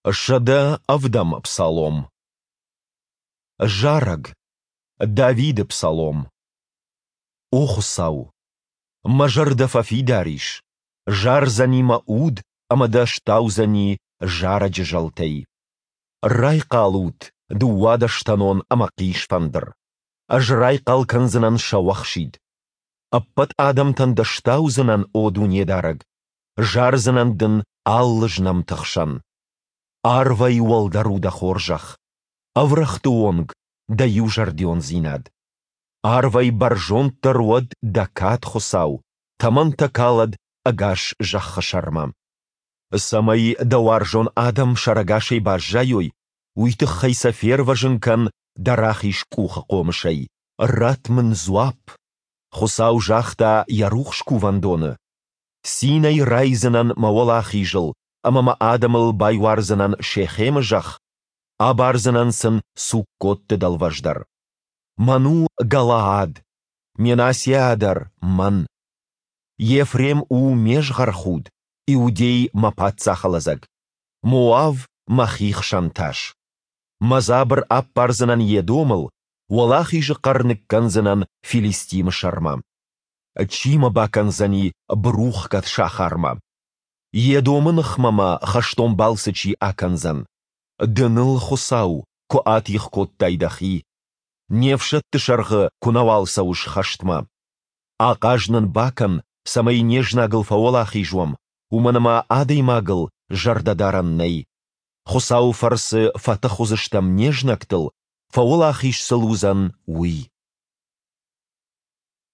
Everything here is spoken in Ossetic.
107-ӕм псалом. Зарӕг. Давиды псалом. О Хуыцау! Мӕ зӕрдӕ фӕфидар ис, зардзӕни мӕ уд ӕмӕ дӕ стаудзӕни зарӕджы зӕлтӕй. Райхъал ут, дыууадӕстӕнон ӕмӕ хъисфӕндыр! Ӕз райхъал кӕндзынӕн сӕуӕхсид. Ӕппӕт адӕмтӕн дӕ стаудзынӕн, о Дунедарӕг, зардзынӕн дын алы знӕмты хсӕн. Арвӕй уӕлдӕр у дӕ хорзӕх, ӕврӕгъты онг дӕ иузӕрдиондзинад. Арвӕй бӕрзонддӕр уӕд дӕ кад, Хуыцау, тӕмӕнтӕ калӕд ӕгас зӕххы сӕрмӕ. Цӕмӕй дӕ уарзон адӕм сӕрӕгасӕй баззайой, уый тыххӕй сӕ фервӕзын кӕн дӕ рахиз къухы хъомысӕй. Ратт мын дзуапп! Хуыцау загъта йӕ рухс кувӕндоны, Цинӕй райдзынӕн мӕ уӕлахизыл ӕмӕ мӕ адӕмыл байуардзынӕн Шехемы зӕхх, абардзынӕн сын Суккотты дӕлвӕз дӕр. Мӕн у Галаад, Менассиа дӕр мӕн. Ефрем у ме згъӕрхуд, Иудей мӕ паддзахы лӕдзӕг, Моав мӕ хихсӕн тас. Мӕ дзабыр аппардзынӕн Едомыл, уӕлахизы хъӕр ныккӕндзынӕн Филистимы сӕрмӕ. Чи мӕ бакӕндзӕни бырухгӕд сахармӕ? Едомы ныхмӕ мӕ хӕстон балцы чи акӕндзӕн? Ды ныл, Хуыцау, куы атигъ кодтай дӕхи, не фсӕдты сӕргъы куы нӕуал цӕуыс хӕстмӕ. Ахъаз нын бакӕн, цӕмӕй не знагыл фӕуӕлахиз уӕм, уымӕн ӕмӕ адӕймагыл зӕрдӕ дарӕн нӕй. Хуыцауы фӕрцы фӕтых уыдзыстӕм не знӕгтыл, фӕуӕлахиз сыл уыдзӕн Уый.